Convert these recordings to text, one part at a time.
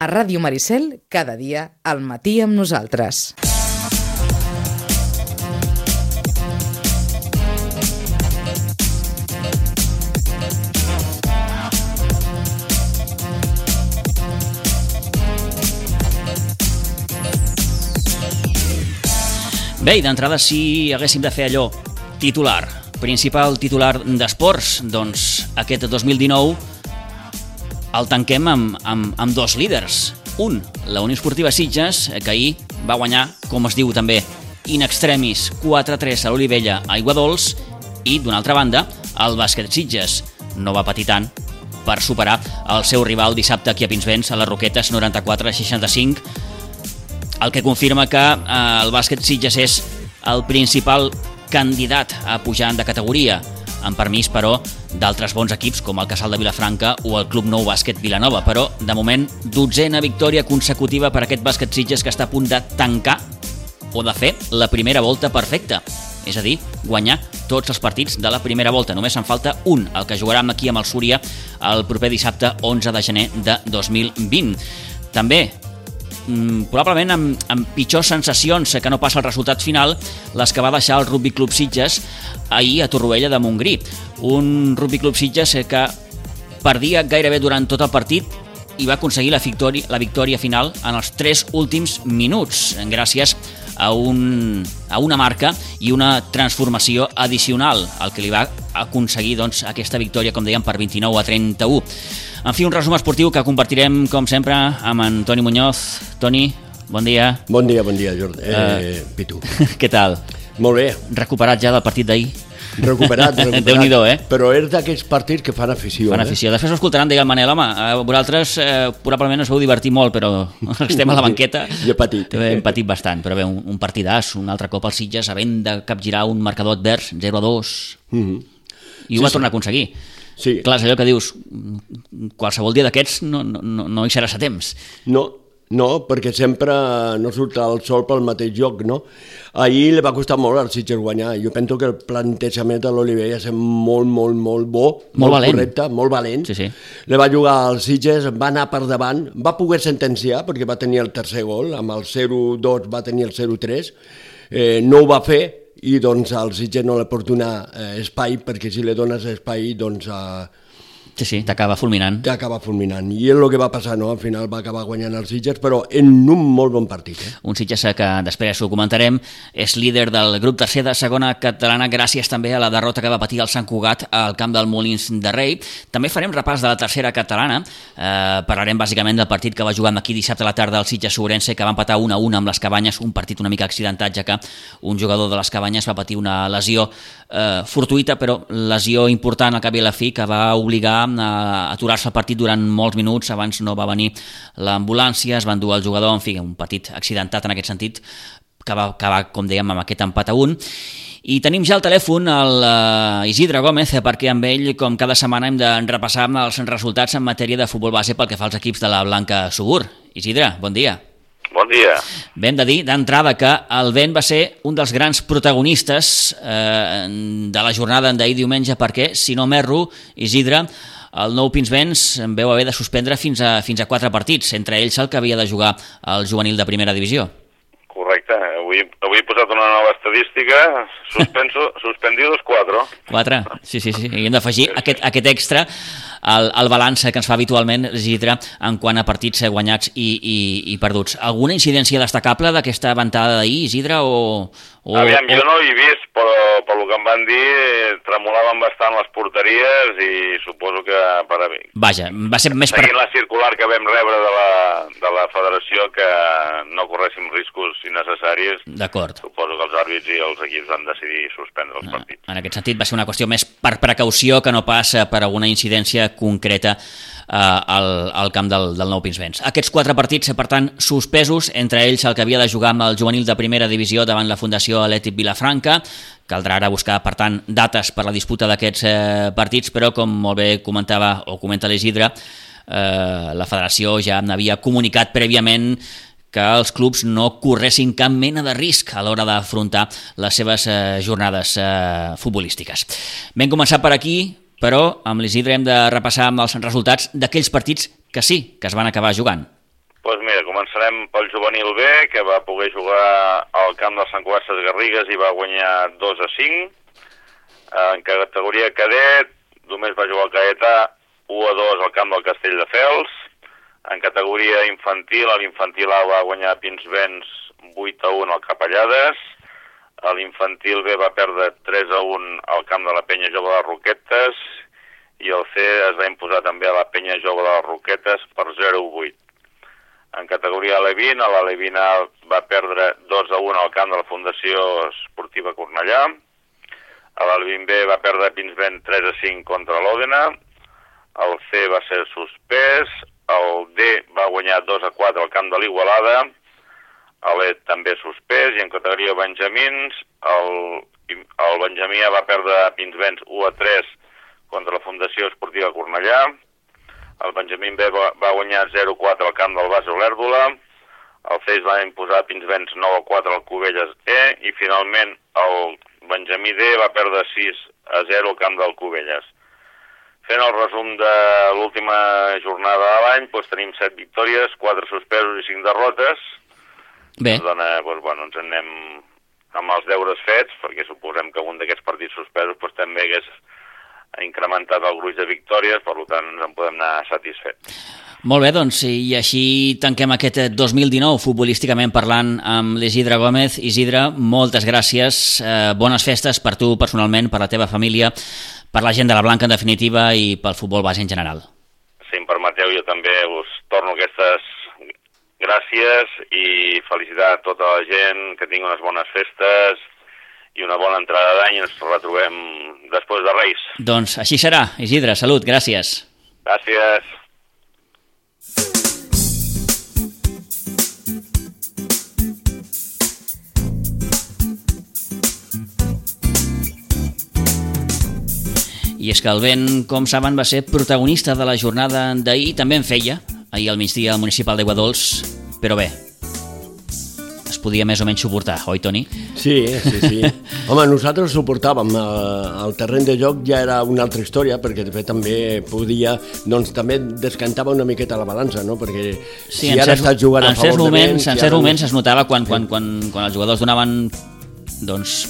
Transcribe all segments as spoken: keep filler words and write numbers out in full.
A Ràdio Maricel, cada dia, al matí amb nosaltres. Bé, i d'entrada, si haguéssim de fer allò titular, principal titular d'esports, doncs aquest dos mil dinou el tanquem amb, amb, amb dos líders. Un, la Unió Esportiva Sitges, que ahir va guanyar, com es diu també, in extremis quatre a tres a l'Olivella a Aiguadols, i d'una altra banda, el Bàsquet Sitges no va patir tant per superar el seu rival dissabte aquí a Pinsbens a les Roquetes noranta-quatre a seixanta-cinc, el que confirma que eh, el Bàsquet Sitges és el principal candidat a pujar de categoria, amb permís, però, d'altres bons equips com el Casal de Vilafranca o el Club Nou Bàsquet Vilanova. Però, de moment, dotzena victòria consecutiva per aquest Bàsquet Sitges que està a punt de tancar o de fer la primera volta perfecta. És a dir, guanyar tots els partits de la primera volta. Només en falta un, el que jugarà aquí amb el Súria el proper dissabte onze de gener de dos mil vint. També, probablement amb, amb pitjors sensacions que no passa el resultat final, les que va deixar el Rugby Club Sitges ahir a Torroella de Montgrí. Un Rugby Club Sitges que perdia gairebé durant tot el partit i va aconseguir la victòria, la victòria final en els tres últims minuts, gràcies a, un, a una marca i una transformació addicional, el que li va aconseguir doncs, aquesta victòria, com dèiem, per vint-i-nou a trenta-u. En fi, un resum esportiu que compartirem, com sempre, amb en Toni Muñoz. Toni, bon dia. Bon dia, bon dia, Jordi. Eh, uh, Pitu. Què tal? Molt bé. Recuperat ja del partit d'ahir? Recuperat, recuperat. Déu-n'hi-do, eh? Però és d'aquells partits que fan afició. Fan afició. Eh? Després ho escoltaran, deia el Manel, home, vosaltres eh, probablement us vau divertir molt, però estem a la banqueta. Jo he patit. Hem patit bastant, però bé, un, un partidàs, un altre cop al Sitges, havent de capgirar un marcador advers, zero a dos, mm-hmm. i ho sí, va tornar sí. a aconseguir. Sí. Clar, és allò que dius, qualsevol dia d'aquests no, no, no hi seràs a temps. No, no, perquè sempre no surt el sol pel mateix lloc, no? Ahir li va costar molt al Sitges guanyar. Jo penso que el plantejament de l'Olivella és molt, molt, molt bo, molt, molt valent. correcte, molt valent. Sí, sí. Le va jugar al Sitges, va anar per davant, va poder sentenciar perquè va tenir el tercer gol, amb el zero dos va tenir el zero tres, eh, no ho va fer, i doncs al Sitges no li pot donar eh, espai, perquè si li dones espai doncs eh, sí, sí, t'acaba fulminant t'acaba fulminant, i és el que va passar, no? Al final va acabar guanyant el Sitges, però en un molt bon partit, eh? Un Sitges que després ho comentarem, és líder del grup tercer de segona catalana gràcies també a la derrota que va patir el Sant Cugat al camp del Molins de Rei. També farem repàs de la tercera catalana, eh, parlarem bàsicament del partit que va jugar aquí dissabte a la tarda el Sitges-Ourense, que va empatar un a un amb les Cabanyes, un partit una mica accidentat, ja que un jugador de les Cabanyes va patir una lesió eh, fortuïta, però lesió important al cap i a la fi, que va obligar a aturar-se el partit durant molts minuts. Abans no va venir l'ambulància, es van dur el jugador, en fi, un partit accidentat en aquest sentit, que va acabar, com dèiem, amb aquest empat a un. I tenim ja al telèfon el uh, Isidre Gómez, perquè amb ell, com cada setmana, hem de repassar els resultats en matèria de futbol base pel que fa als equips de la Blanca Subur. Isidre, bon dia. Bon dia. Bé, hem de dir d'entrada que el vent va ser un dels grans protagonistes eh, de la jornada d'ahir diumenge, perquè, si no m'erro, Isidre, el Nou Pinsbens en veu haver de suspendre fins a, fins a quatre partits, entre ells el que havia de jugar el juvenil de primera divisió. Correcte. Avui, avui he posat una nova estadística, suspenso, suspendidos quatre. Quatre? Sí, sí, sí. I hem d'afegir sí, sí. aquest, aquest extra al, al balanç que ens fa habitualment Isidre en quant a partits guanyats i, i, i perduts. Alguna incidència destacable d'aquesta ventada d'ahir, Isidre? O, o, Aviam, o... jo no hi he vist, però pel que em van dir tremolaven bastant les porteries i suposo que per a mi. Vaja, va ser més... Seguint per... la circular que vam rebre de la, de la federació, que no corréssim riscos innecessaris, d'acord. Suposo que els àrbits i els equips van decidir suspendre els no, partits. En aquest sentit va ser una qüestió més per precaució que no pas per alguna incidència concreta eh, al, al camp del, del Nou Pinsbens. Aquests quatre partits, per tant, suspesos, entre ells el que havia de jugar amb el juvenil de primera divisió davant la Fundació Atlètic Vilafranca. Caldrà ara buscar, per tant, dates per la disputa d'aquests eh, partits, però com molt bé comentava o comenta l'Isidre, eh, la federació ja n'havia comunicat prèviament que els clubs no corressin cap mena de risc a l'hora d'afrontar les seves eh, jornades eh, futbolístiques. Vam començar per aquí, però amb l'Isidre hem de repassar amb els resultats d'aquells partits que sí, que es van acabar jugant. Doncs mira, començarem pel juvenil B, que va poder jugar al camp del Sant Cugat Garrigues i va guanyar dos a cinc. En categoria cadet, només va jugar el Caetà u a dos al camp del Castelldefels. En categoria infantil, l'infantil A va guanyar a Pinsbens vuit a un al Capellades. L'infantil B va perdre tres a un al camp de la Penya Jove de Roquetes i el C es va imposar també a la Penya Jove de Roquetes per zero a vuit. En categoria alevín, l'Alevín A va perdre dos a un al camp de la Fundació Esportiva Cornellà. L'Alevín B va perdre a Pinsbens tres a cinc contra l'Òdena. El C va ser suspès. El D va guanyar dos a quatre al camp de l'Igualada. L'E també suspès. I en categoria benjamins, el, el Benjamí A va perdre a Pinsbens u a tres contra la Fundació Esportiva Cornellà. El Benjamín B va, va guanyar zero a quatre al camp del Base Olèrdola. El C es va imposar a Pinsbens nou a quatre al Cubelles E. I finalment el Benjamí D va perdre sis a zero al camp del Cubelles. Fent el resum de l'última jornada de l'any, doncs tenim set victòries, quatre suspesos i cinc derrotes. Bé. Doncs, doncs, bueno, ens en anem amb els deures fets, perquè suposem que un d'aquests partits suspesos doncs, també hagués incrementat el gruix de victòries, per tant ens en podem anar satisfets. Molt bé, doncs, i així tanquem aquest dos mil dinou, futbolísticament parlant, amb l'Isidre Gómez. Isidre, moltes gràcies, eh, bones festes per tu personalment, per la teva família, per la gent de la Blanca en definitiva i pel futbol base en general. Si em permeteu, jo també us torno aquestes gràcies i felicitar a tota la gent, que tingui unes bones festes i una bona entrada d'any i ens retrobem després de Reis. Doncs així serà. Isidre, salut, gràcies. Gràcies. I és que el vent, com saben, va ser protagonista de la jornada d'ahir, també en feia, ahir al migdia al municipal d'Aiguadols, però bé, es podia més o menys suportar, oi, Toni? Sí, sí, sí. Home, nosaltres suportàvem. El terreny de joc ja era una altra història, perquè de fet també podia, doncs també descantava una miqueta la balança, no? Perquè sí, si ara certs, estàs jugant a favor moments, de vent... En certs moments es notava quan, quan, quan, quan els jugadors donaven, doncs,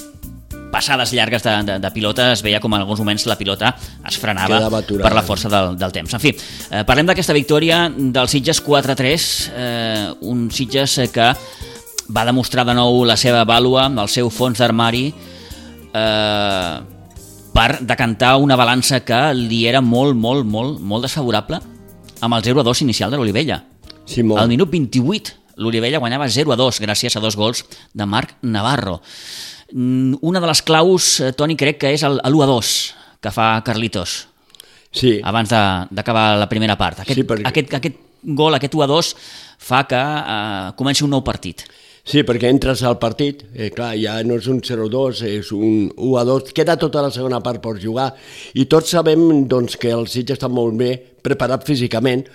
passades llargues de, de, de pilota, es veia com en alguns moments la pilota es frenava per la força del, del temps. En fi, eh, parlem d'aquesta victòria del Sitges quatre a tres, eh, un Sitges que va demostrar de nou la seva vàlua, el seu fons d'armari, eh, per decantar una balança que li era molt, molt, molt, molt desfavorable amb el zero a dos inicial de l'Olivella. Sí, molt. Al minut vint-i-vuit, l'Olivella guanyava zero a dos gràcies a dos gols de Marc Navarro. Una de les claus, Toni, crec que és l'u a dos que fa Carlitos, sí, abans d'acabar la primera part. Aquest, sí, perquè... aquest, aquest gol, aquest u a dos, fa que eh, comenci un nou partit. Sí, perquè entres al partit, eh, clar, ja no és un zero a dos, és un u a dos, queda tota la segona part per jugar, i tots sabem doncs, que el Sitges està molt bé preparat físicament,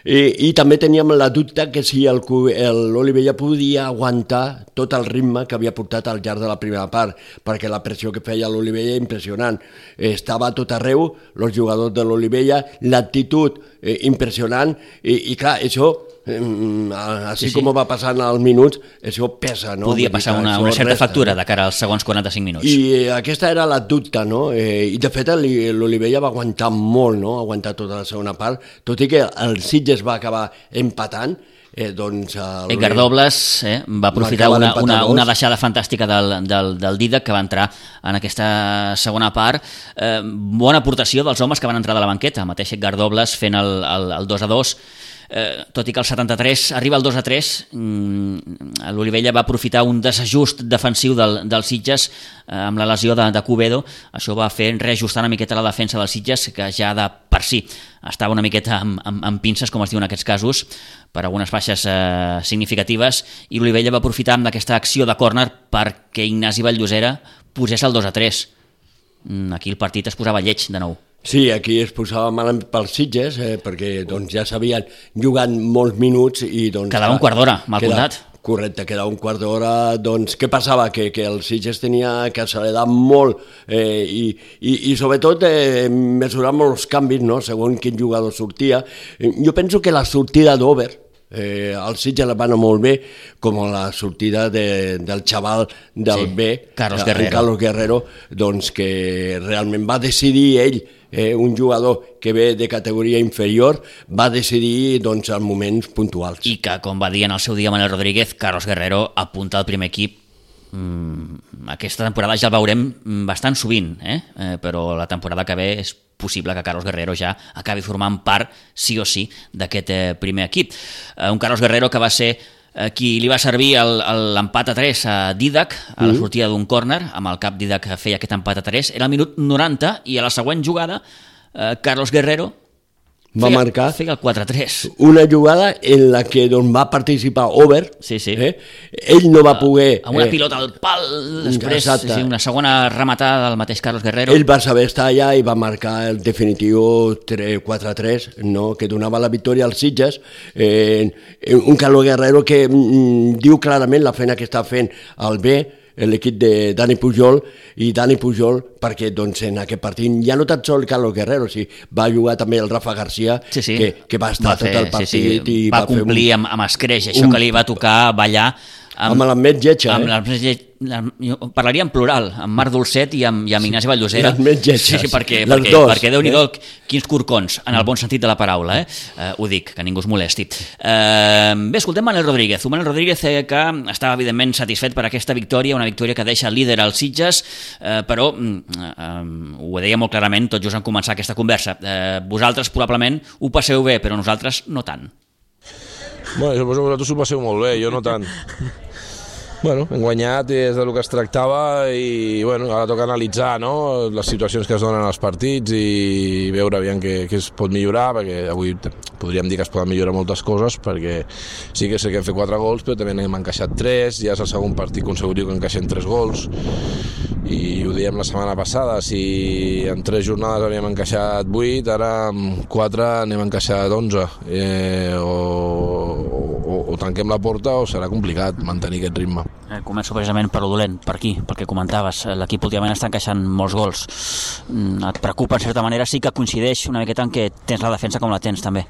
i, i també teníem la dubte que si l'Olivella podia aguantar tot el ritme que havia portat al llarg de la primera part, perquè la pressió que feia l'Olivella impressionant, estava a tot arreu, els jugadors de l'Olivella, l'actitud eh, impressionant, i, i clar, això... així sí, sí. com va passant als minuts, això pesa, no? Podia passar una, una certa resta, factura de cara als segons quaranta-cinc minuts. I aquesta era la dubte, no? Eh, I de fet l'Olivella va aguantar molt, no? Aguantar tota la segona part, tot i que el Sitges va acabar empatant. Eh, doncs, Edgar Dobles eh, va aprofitar va una, una, una deixada fantàstica del, del, del Didac, que va entrar en aquesta segona part. Eh, bona aportació dels homes que van entrar de la banqueta, el mateix Edgar Dobles fent el, el, el dos a dos. Eh, tot i que el setanta-tres arriba el dos a tres, mm, l'Olivella va aprofitar un desajust defensiu del, del Sitges eh, amb la lesió de, de Cubedo. Això va fer reajustar una miqueta la defensa del Sitges, que ja de per si estava una miqueta amb, amb, amb pinces, com es diu en aquests casos, per algunes baixes eh, significatives, i l'Olivella va aprofitar amb aquesta acció de córner perquè Ignasi Valllosera posés el dos a tres. Mm, aquí el partit es posava lleig de nou. Sí, aquí es posava mal pels Sitges, eh, perquè doncs, ja s'havien jugat molts minuts i... Doncs, quedava un quart d'hora, mal queda, comptat. Correcte, quedava un quart d'hora. Doncs què passava? Que, que el Sitges tenia que accelerar molt eh, i, i, i sobretot eh, mesurar molts canvis, no? Segons quin jugador sortia. Jo penso que la sortida d'Over, Eh, el Sitges va anar molt bé, com la sortida de, del xaval del Sí, B, Carlos el Guerrero. Carlos Guerrero, doncs que realment va decidir ell, eh, un jugador que ve de categoria inferior, va decidir doncs, en moments puntuals. I que, com va dir en el seu dia Manel Rodríguez, Carlos Guerrero apunta al primer equip. Mm, aquesta temporada ja el veurem bastant sovint, eh? Eh, però la temporada que ve és possible que Carlos Guerrero ja acabi formant part, sí o sí, d'aquest eh, primer equip. Eh, un Carlos Guerrero que va ser eh, qui li va servir el- el- l'empat a tres a Didac a la sortida d'un córner, amb el cap Didac feia aquest empat a tres, era el minut noranta i a la següent jugada eh, Carlos Guerrero Va feia, marcar feia el quatre a tres. una jugada en la que doncs, va participar Over. Sí, sí. Eh? Ell no va poder... Amb una eh, pilota al pal, després Exacte. sí, una segona rematada del mateix Carlos Guerrero. Ell va saber estar allà i va marcar el definitiu quatre a tres, no? Que donava la victòria als Sitges. Eh, un Carlos Guerrero que mm, diu clarament la feina que està fent el B, l'equip de Dani Pujol, i Dani Pujol, perquè doncs, en aquest partit ja no tan sol Carlos Guerrero, sí, va jugar també el Rafa García, Sí, sí. que, que va estar Va fer- tot el partit sí, sí. i va, va, fer complir un, amb, amb escreix, això un- que li va tocar ballar amb la més lletja, amb eh? la més llet- la- jo parlaria en plural, amb Marc Dolcet i amb, i amb Ignasi Valldosera. les més lletges, Sí, sí, perquè, les perquè, dos, perquè Déu-n'hi-do, eh? quins corcons, en el bon sentit de la paraula, eh? Eh, ho dic, que ningú es molesti. Eh, bé, escoltem Manel Rodríguez. Un Manel Rodríguez eh, que estava, evidentment, satisfet per aquesta victòria, una victòria que deixa líder als Sitges, eh, però mm, eh, ho deia molt clarament tot just en començar aquesta conversa. Eh, vosaltres probablement ho passeu bé, però nosaltres no tant. Bueno, suposo que vosaltres ho passeu molt bé, jo no tant. Bueno, hem guanyat i és del que es tractava i bueno, ara toca analitzar, no?, les situacions que es donen als partits i veure aviam què, què es pot millorar, perquè avui t- podríem dir que es poden millorar moltes coses, perquè sí que sé que hem fet quatre gols, però també n'hem encaixat tres, ja és el segon partit consecutiu que encaixem tres gols, i ho dèiem la setmana passada, si en tres jornades havíem encaixat vuit, ara amb quatre n'hem encaixat onze, eh, o, o, o tanquem la porta o serà complicat mantenir aquest ritme. Eh, començo precisament per lo dolent, per aquí, perquè comentaves, eh, l'equip últimament està encaixant molts gols. Mm, et preocupa, en certa manera, sí que coincideix una miqueta en què tens la defensa com la tens, també.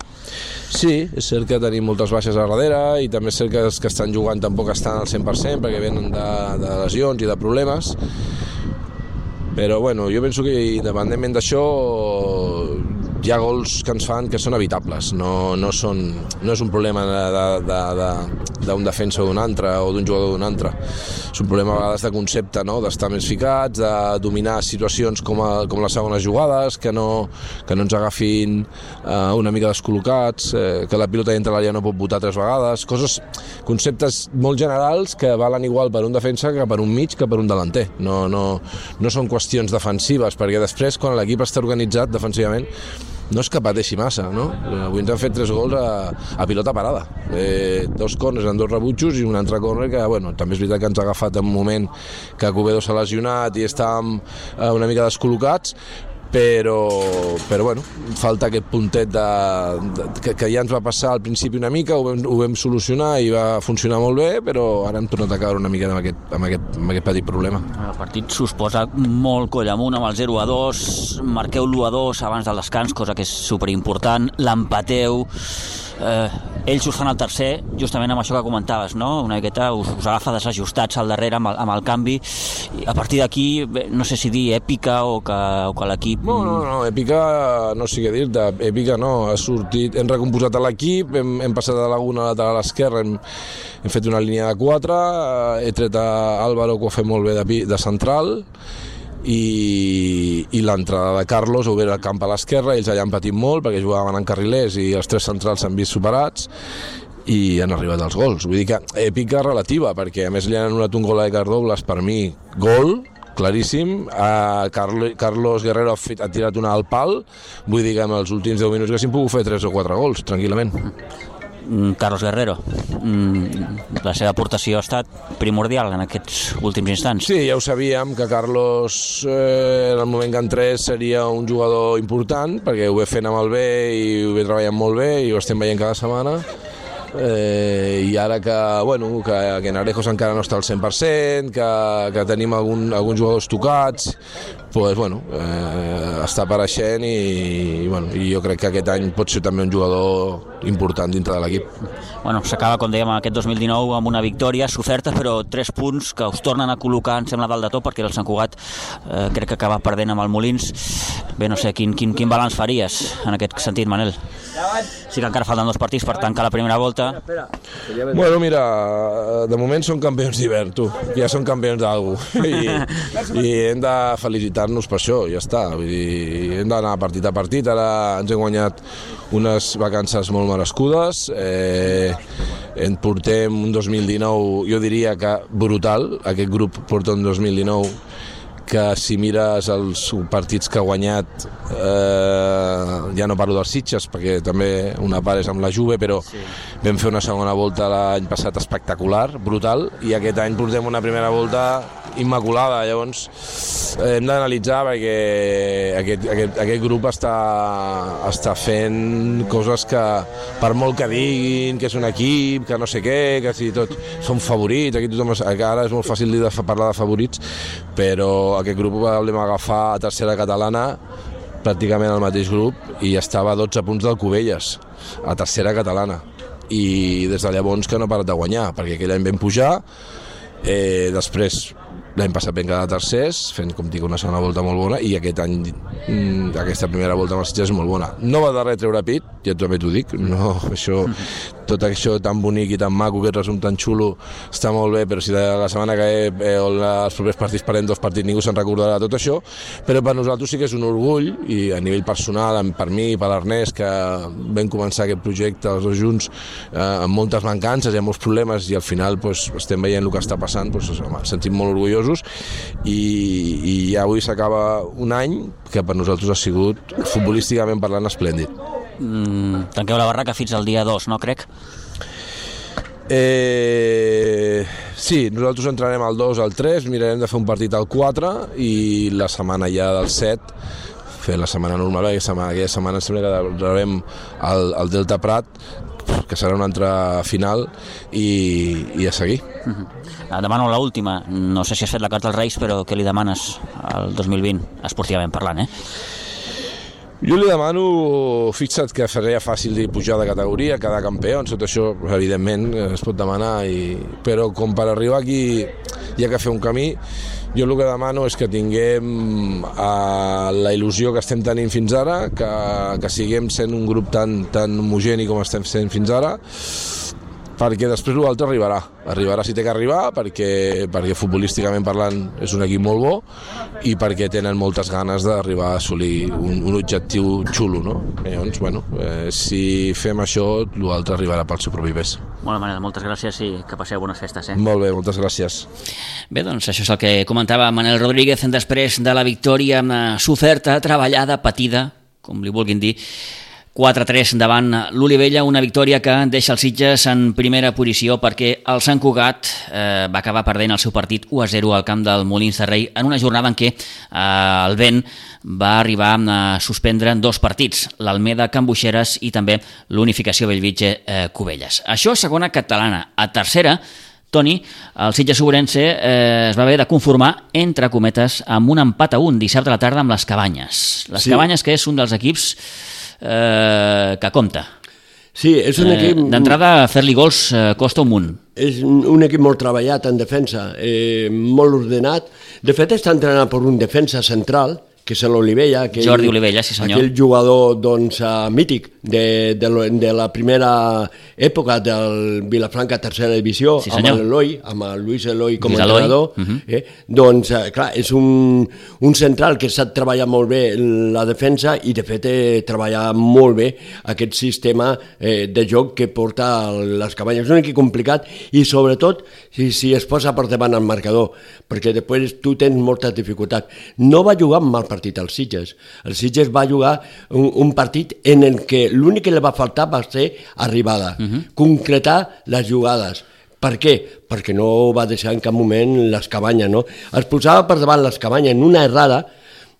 Sí, és cert que tenim moltes baixes a darrere i també és cert que els que estan jugant tampoc estan al cent per cent perquè venen de, de lesions i de problemes, però bueno, jo penso que independentment d'això hi ha gols que ens fan que són evitables, no, no, són, no és un problema d'un de, de, de, defensa o d'un altre o d'un jugador d'un altre, és un problema a vegades de concepte, no? D'estar més ficats, de dominar situacions com, a, com les segones jugades, que no, que no ens agafin eh, una mica descol·locats, eh, que la pilota dintre l'àrea no pot botar tres vegades, coses, conceptes molt generals que valen igual per un defensa que per un mig que per un delanter, no, no, no són qüestions defensives, perquè després quan l'equip està organitzat defensivament no és que pateixi massa, no? Avui ens han fet tres gols a, a pilota parada. Eh, dos corners en dos rebutjos i un altre corner que, bueno, també és veritat que ens ha agafat en un moment que Cubedo s'ha lesionat i estàvem eh, una mica descol·locats, però, però bueno, falta aquest puntet de, de, que, que ja ens va passar al principi una mica, ho vam, ho vam solucionar i va funcionar molt bé, però ara hem tornat a caure una mica amb aquest, amb aquest, amb aquest petit problema. El partit s'us posa molt coll amunt amb el zero a dos, marqueu l'u a dos abans del descans, cosa que és superimportant, l'empateu, eh, ells us fan el tercer, justament amb això que comentaves, no? Una miqueta us, us agafa desajustats al darrere amb el, amb el canvi, i a partir d'aquí, bé, no sé si dir èpica o que, o que l'equip... No, no, no, èpica no sé què dir-te, èpica no, ha sortit, hem recomposat l'equip, hem, hem passat de l'una lateral a l'esquerra, hem, hem fet una línia de quatre, he tret a Álvaro que ho ha fet molt bé de, de central, i, i l'entrada de Carlos ha obert el camp a l'esquerra, ells allà han patit molt perquè jugaven en carrilers i els tres centrals s'han vist superats i han arribat els gols, vull dir que èpica relativa, perquè a més li han anul·lat un gol a Edgar Douglas, per mi gol claríssim, a Carlos Guerrero ha, fet, ha tirat una al pal, vull dir que en els últims deu minuts que s'hi han pogut fer tres o quatre gols, tranquil·lament. Carlos Guerrero, la seva aportació ha estat primordial en aquests últims instants. Sí, ja ho sabíem, que Carlos eh, en el moment que entrés seria un jugador important, perquè ho ve fent amb el bé i ho ve treballant molt bé i ho estem veient cada setmana. Eh, i ara que, bueno, que, que Narejos encara no està al cent per cent, que, que tenim algun, alguns jugadors tocats, pues, bueno, eh, està apareixent i, i, bueno, i jo crec que aquest any pot ser també un jugador important dintre de l'equip. Bueno, s'acaba, com dèiem, aquest dos mil dinou amb una victòria, Soferta, però tres punts que us tornen a col·locar, em sembla, dalt de tot, perquè el Sant Cugat eh, crec que acaba perdent amb el Molins. Bé, no sé, quin, quin, quin balanç faries en aquest sentit, Manel? Sí que encara falten dos partits per tancar la primera volta. Bueno, mira, de moment són campions d'hivern, tu. Ja són campions d'algú. I, I hem de felicitar-nos per això, ja està. Vull dir, hem d'anar partit a partit. Ara ens hem guanyat unes vacances molt merescudes. Eh, en portem un dos mil dinou, jo diria que brutal. Aquest grup porta un dos mil dinou que si mires els partits que ha guanyat, eh, ja no parlo dels Sitges perquè també una part és amb la Juve, però sí. Vam fer una segona volta l'any passat espectacular, brutal, i aquest any portem una primera volta immaculada. Llavors eh, hem d'analitzar perquè aquest, aquest, aquest grup està, està fent coses que, per molt que diguin que és un equip, que no sé què, que si tot són favorits, aquí tothom, ara és molt fàcil dir de parlar de favorits, però aquest grup el vam agafar a tercera catalana, pràcticament el mateix grup, i estava a dotze punts del Cubelles, a tercera catalana, i des de llavors que no ha parat de guanyar, perquè aquell any vam pujar, eh, després l'any passat vam quedar tercers, fent, com dic, una segona volta molt bona, i aquest any, aquesta primera volta amb els Sitges és molt bona. No va de res treure pit, ja també t'ho dic, no, això, tot això tan bonic i tan maco, aquest resum tan xulo, està molt bé, però si de la setmana que ve o els propers partits parem dos partits, ningú se'n recordarà tot això, però per nosaltres sí que és un orgull, i a nivell personal, per mi i per l'Ernest, que vam començar aquest projecte els dos junts eh, amb moltes mancances i amb molts problemes, i al final pues, estem veient el que està passant, pues, home, sentim molt orgullosos, i, i avui s'acaba un any que per nosaltres ha sigut futbolísticament parlant esplèndid. Mm, tanqueu la barraca fins al dia dos, no crec? Eh, sí, nosaltres entrarem al dos, al tres, mirarem de fer un partit al quatre i la setmana ja del set fer la setmana normal, aquella setmana, aquella setmana sembla que rebem el, el Delta Prat, que serà una altra final, i, i a seguir. Uh-huh. Demano l'última, no sé si has fet la carta als Reis, però què li demanes al dos mil vint, esportivament parlant, eh? Jo li demano, fixa't que seria fàcil dir pujar de categoria, quedar campió, tot això evidentment es pot demanar, i... però com per arribar aquí hi ha que fer un camí. Jo el que demano és que tinguem eh, la il·lusió que estem tenint fins ara, que, que siguem sent un grup tan, tan homogeni com estem sent fins ara, perquè després l'altre arribarà. Arribarà si té que arribar, perquè, perquè futbolísticament parlant és un equip molt bo i perquè tenen moltes ganes d'arribar a assolir un, un objectiu xulo, no? Llavors, bueno, eh, si fem això, l'altre arribarà pel seu propi pes. Bona manera, moltes gràcies i que passeu bones festes, eh? Molt bé, moltes gràcies. Bé, doncs això és el que comentava Manel Rodríguez després de la victòria Soferta, treballada, patida, com li vulguin dir, quatre a tres davant l'Olivella, una victòria que deixa els Sitges en primera posició perquè el Sant Cugat eh, va acabar perdent el seu partit u a zero al camp del Molins de Rei en una jornada en què eh, el vent va arribar a suspendre dos partits, l'Almeda Can Buixeres i també l'Unificació Bellvitge eh, Cubelles. Això a segona catalana. A tercera, Toni, el Sitges Ourense eh, es va haver de conformar, entre cometes, amb un empat a un dissabte a la tarda amb les Cabanyes. Les sí. Cabanyes, que és un dels equips eh, que compta. Sí, és un equip... Eh, D'entrada, fer-li gols eh, costa un munt. És un, un equip molt treballat en defensa, eh, molt ordenat. De fet, està entrenat per un defensa central, que és l'Olivella, aquell, Jordi Olivella, sí senyor. Aquell jugador doncs, uh, mític de, de, de la primera època del Vilafranca tercera divisió, sí, amb l'Eloi, amb el Luis Eloi com a entrenador. Uh-huh. eh? Doncs, uh, clar, és un, un central que sap treballar molt bé la defensa i, de fet, eh, treballa molt bé aquest sistema eh, de joc que porta les Cabanyes. És un equip complicat i, sobretot, si, si es posa per davant el marcador, perquè després tu tens moltes dificultats. No va jugar amb mal partit als Sitges. El Sitges va jugar un, un partit en el que l'únic que li va faltar va ser arribada, uh-huh. concretar les jugades. Per què? Perquè no va deixar en cap moment les Cabanyes, no? Es posava per davant les Cabanyes en una errada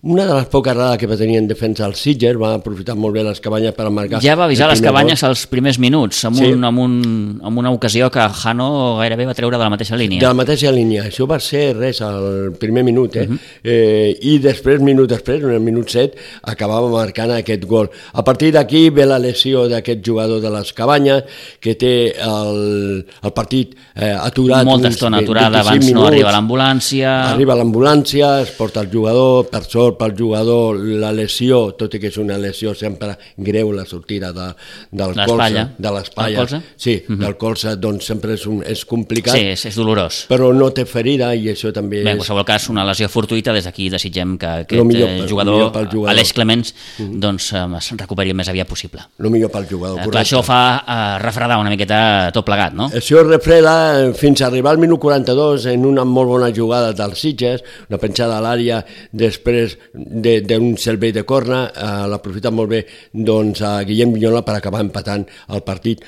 una de les poques errades que va tenir en defensa el Sitges, va aprofitar molt bé les Cabanyes per marcar. Ja va avisar les Cabanyes als primers minuts, amb, sí. un, amb, un, amb una ocasió que Jano gairebé va treure de la mateixa línia. De la mateixa línia, això va ser res al primer minut, eh? Uh -huh. eh i després, minut després, en el minut set, acabava marcant aquest gol. A partir d'aquí ve la lesió d'aquest jugador de les Cabanyes, que té el, el partit eh, aturat. Molta estona aturada, abans minuts, no arriba l'ambulància. Arriba l'ambulància, es porta el jugador, per sort pel jugador la lesió, tot i que és una lesió sempre greu, la sortida de, del colze, de l'espatlla, sí, uh -huh. del colze, doncs sempre és, un, és complicat. Sí, és, és dolorós. Però no té ferida i això també Bé, en és... qualsevol cas, una lesió fortuïta, des d'aquí desitgem que aquest millor, eh, jugador, jugador, Aleix Clemens, uh -huh. doncs eh, es recuperi el més aviat possible. El millor pel jugador, eh, correcte. Clar, això fa eh, refredar una miqueta tot plegat, no? Això refreda fins a arribar al minut quaranta-dos en una molt bona jugada dels Sitges, una penjada a l'àrea després d'un servei de corna, eh, l'aprofita molt bé doncs, a Guillem Vignola per acabar empatant el partit.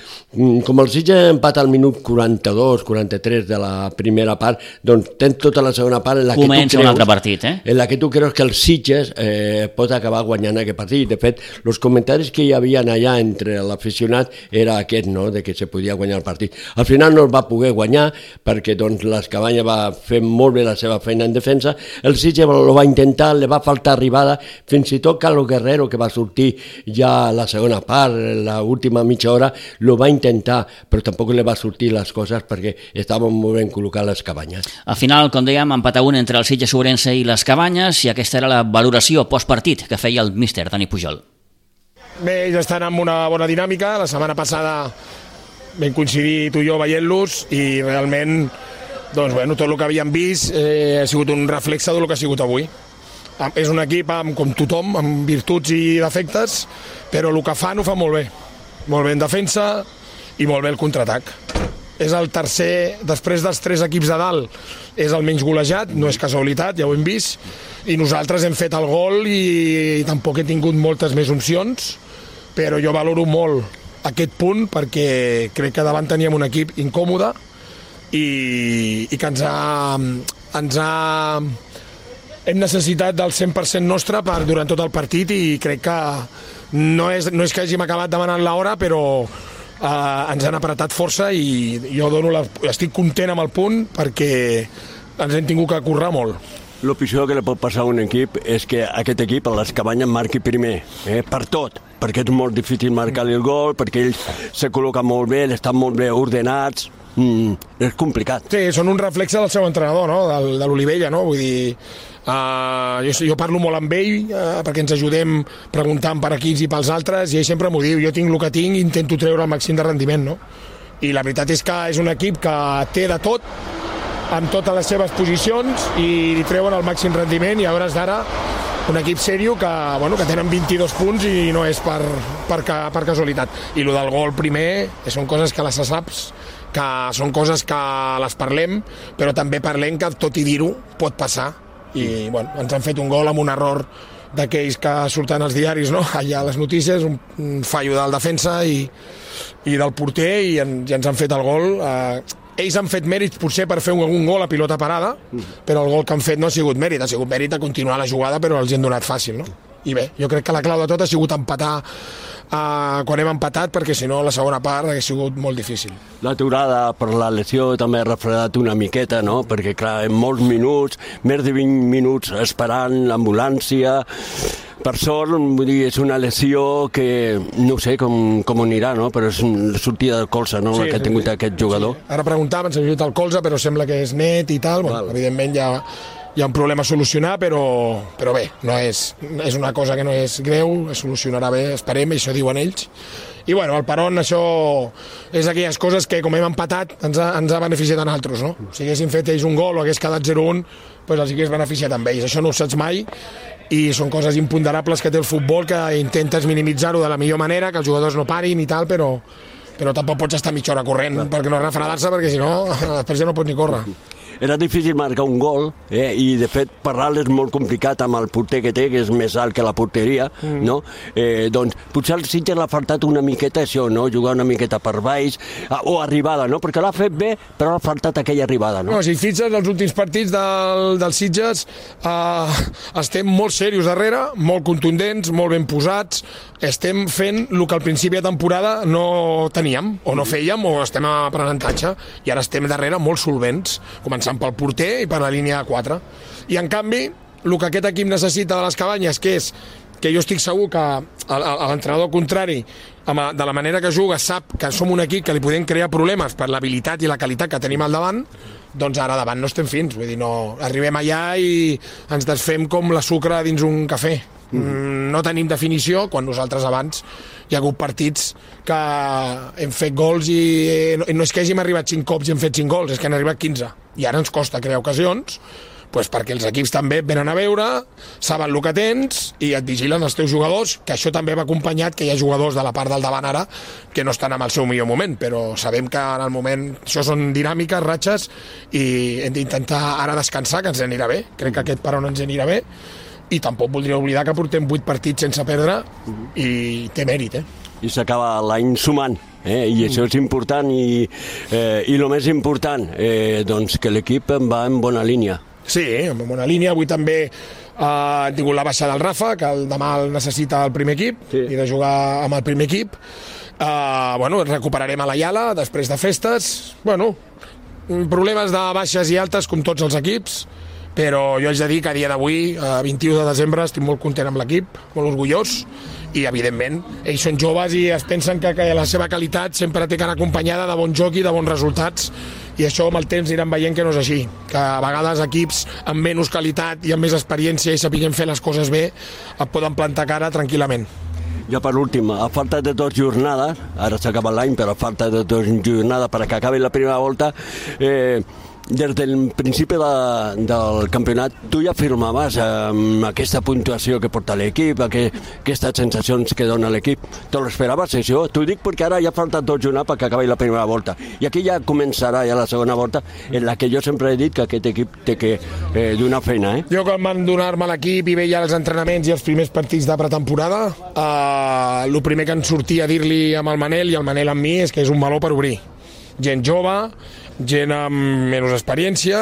Com el Sitges empata al minut quaranta-dos quaranta-tres de la primera part, doncs tens tota la segona part en la Comença que tu creus, un altre partit, eh? en la que tu creus que el Sitges eh, pot acabar guanyant aquest partit. De fet, els comentaris que hi havia allà entre l'aficionat era aquest, no?, de que se podia guanyar el partit. Al final no el va poder guanyar perquè doncs, les Cabanyes va fer molt bé la seva feina en defensa, el Sitges ho va intentar, li va faltar arribada, fins i tot Carlos Guerrero, que va sortir ja a la segona part, l'última mitja hora, lo va intentar, però tampoc li va sortir les coses perquè estaven molt ben col·locades les Cabanyes. Al final, com dèiem, empat a un entre el Sitges Ourense i les Cabanyes, i aquesta era la valoració postpartit que feia el míster Dani Pujol. Bé, ells estan amb una bona dinàmica. La setmana passada vam coincidir tu i jo veient-los i realment doncs, bueno, tot el que havíem vist eh, ha sigut un reflexe del que ha sigut avui. És un equip amb, com tothom, amb virtuts i defectes, però el que fan ho fa molt bé. Molt bé en defensa i molt bé el contraatac. És el tercer, després dels tres equips de dalt, és el menys golejat, no és casualitat, ja ho hem vist, i nosaltres hem fet el gol i, i tampoc he tingut moltes més opcions, però jo valoro molt aquest punt perquè crec que davant teníem un equip incòmode i, i que ens ha, ens ha hem necessitat del cent per cent nostre per, durant tot el partit, i crec que no és, no és que hàgim acabat demanant l'hora, però eh, ens han apretat força i jo dono la, estic content amb el punt perquè ens hem tingut que currar molt. El pitjor que li pot passar a un equip és que aquest equip a les Cabanyes marqui primer, eh, per tot, perquè és molt difícil marcar-li el gol, perquè ells se col·loquen molt bé, estan molt bé ordenats, mm, és complicat. Sí, són un reflexe del seu entrenador, no?, de, de l'Olivella, no?, vull dir, uh, jo, jo parlo molt amb ell uh, perquè ens ajudem preguntant per aquí i pels altres, i ell sempre m'ho diu, jo tinc el que tinc i intento treure el màxim de rendiment, no?, i la veritat és que és un equip que té de tot, amb totes les seves posicions, i li treuen el màxim rendiment, i a hores d'ara un equip sèrio que, bueno, que tenen vint-i-dos punts i no és per, per, per casualitat. I el del gol primer són coses que les saps, que són coses que les parlem, però també parlem que tot i dir-ho pot passar, i bueno, ens han fet un gol amb un error d'aquells que surten als diaris, no?, allà a les notícies, un, un fallo del defensa i, i del porter, i, en, i ens han fet el gol. Eh, ells han fet mèrits potser per fer un, un gol a pilota parada, però el gol que han fet no ha sigut mèrit, ha sigut mèrit a continuar la jugada, però els hi han donat fàcil, no? I bé, jo crec que la clau de tot ha sigut empatar uh, quan hem empatat, perquè si no la segona part hauria sigut molt difícil. L'aturada per la lesió també ha refredat una miqueta, no?, perquè clar, en molts minuts, més de vint minuts esperant l'ambulància. Per sort, vull dir, és una lesió que no sé com, com anirà, no?, però és la sortida del colze, no?, sí, que ha tingut sí, aquest jugador. Sí. Ara preguntaven si ha tingut el colze, però sembla que és net i tal. Bueno, evidentment hi ha, hi ha un problema a solucionar, però, però bé, no és, és una cosa que no és greu, es solucionarà bé, esperem, això diuen ells. I bueno, el peron, això és aquelles coses que com hem empatat ens ha, ens ha beneficiat a nosaltres, no? Si haguessin fet ells un gol o hagués quedat zero un, doncs els hagués beneficiat amb ells. Això no ho saps mai, i són coses imponderables que té el futbol, que intentes minimitzar-ho de la millor manera, que els jugadors no parin i tal, però, però tampoc pots estar mitja hora corrent perquè no refredar-se, perquè si no després ja no pots ni córrer. era difícil marcar un gol, eh? I de fet parlar és molt complicat amb el porter que té, que és més alt que la porteria, mm. no? Eh, doncs potser el Sitges l'ha faltat una miqueta això, no? Jugar una miqueta per baix, o arribada, no? Perquè l'ha fet bé, però l'ha faltat aquella arribada, no? No, si fixes els últims partits del, del Sitges, eh, estem molt serios darrere, molt contundents, molt ben posats, estem fent el que al principi de temporada no teníem, o no fèiem, o estem a aprenentatge, i ara estem darrere molt solvents, començant pel porter i per la línia de quatre. I en canvi, el que aquest equip necessita de les cabanyes, que és que jo estic segur que l'entrenador contrari, de la manera que juga, sap que som un equip que li podem crear problemes per l'habilitat i la qualitat que tenim al davant, doncs ara davant no estem fins, vull dir, no, arribem allà i ens desfem com la sucre dins un cafè. Mm. No tenim definició, quan nosaltres abans hi ha hagut partits que hem fet gols i no és que hàgim arribat cinc cops i hem fet cinc gols, és que han arribat quinze, i ara ens costa crear ocasions, pues perquè els equips també venen a veure, saben el que tens i et vigilen els teus jugadors, que això també va acompanyat que hi ha jugadors de la part del davant ara que no estan en el seu millor moment, però sabem que en el moment això són dinàmiques, ratxes, i hem d'intentar ara descansar, que ens anirà bé, crec que aquest parón ens anirà bé, i tampoc voldria oblidar que portem vuit partits sense perdre i té mèrit, eh? I s'acaba l'any sumant, eh? I això és important, i, eh, i el més important, eh, doncs que l'equip va en bona línia. Sí, en bona línia. Avui també eh, hem tingut la baixa del Rafa, que el demà el necessita el primer equip, sí. I de jugar amb el primer equip. Eh, bueno, recuperarem a la Iala després de festes. Bueno, problemes de baixes i altes com tots els equips, però jo haig de dir que a dia d'avui, a vint-i-u de desembre, estic molt content amb l'equip, molt orgullós, i evidentment ells són joves i es pensen que, que la seva qualitat sempre té que anar acompanyada de bon joc i de bons resultats, i això amb el temps aniran veient que no és així, que a vegades equips amb menys qualitat i amb més experiència i sapiguem fer les coses bé et poden plantar cara tranquil·lament. Ja per últim, a falta de dues jornades, ara s'acaba l'any, però a falta de dues jornades perquè acabi la primera volta, eh, des del principi de, del campionat tu ja afirmaves amb eh, aquesta puntuació que porta l'equip, aquestes sensacions que dona l'equip. Te l'esperaves això? T'ho dic perquè ara ja falta dos jornades perquè acabi la primera volta. I aquí ja començarà ja la segona volta, en la que jo sempre he dit que aquest equip té que eh, donar feina. Eh? Jo quan van donar-me l'equip i veia els entrenaments i els primers partits de pretemporada, eh, el primer que em sortia a dir-li amb el Manel i el Manel amb mi és que és un meló per obrir. Gent jove, gent amb menys experiència,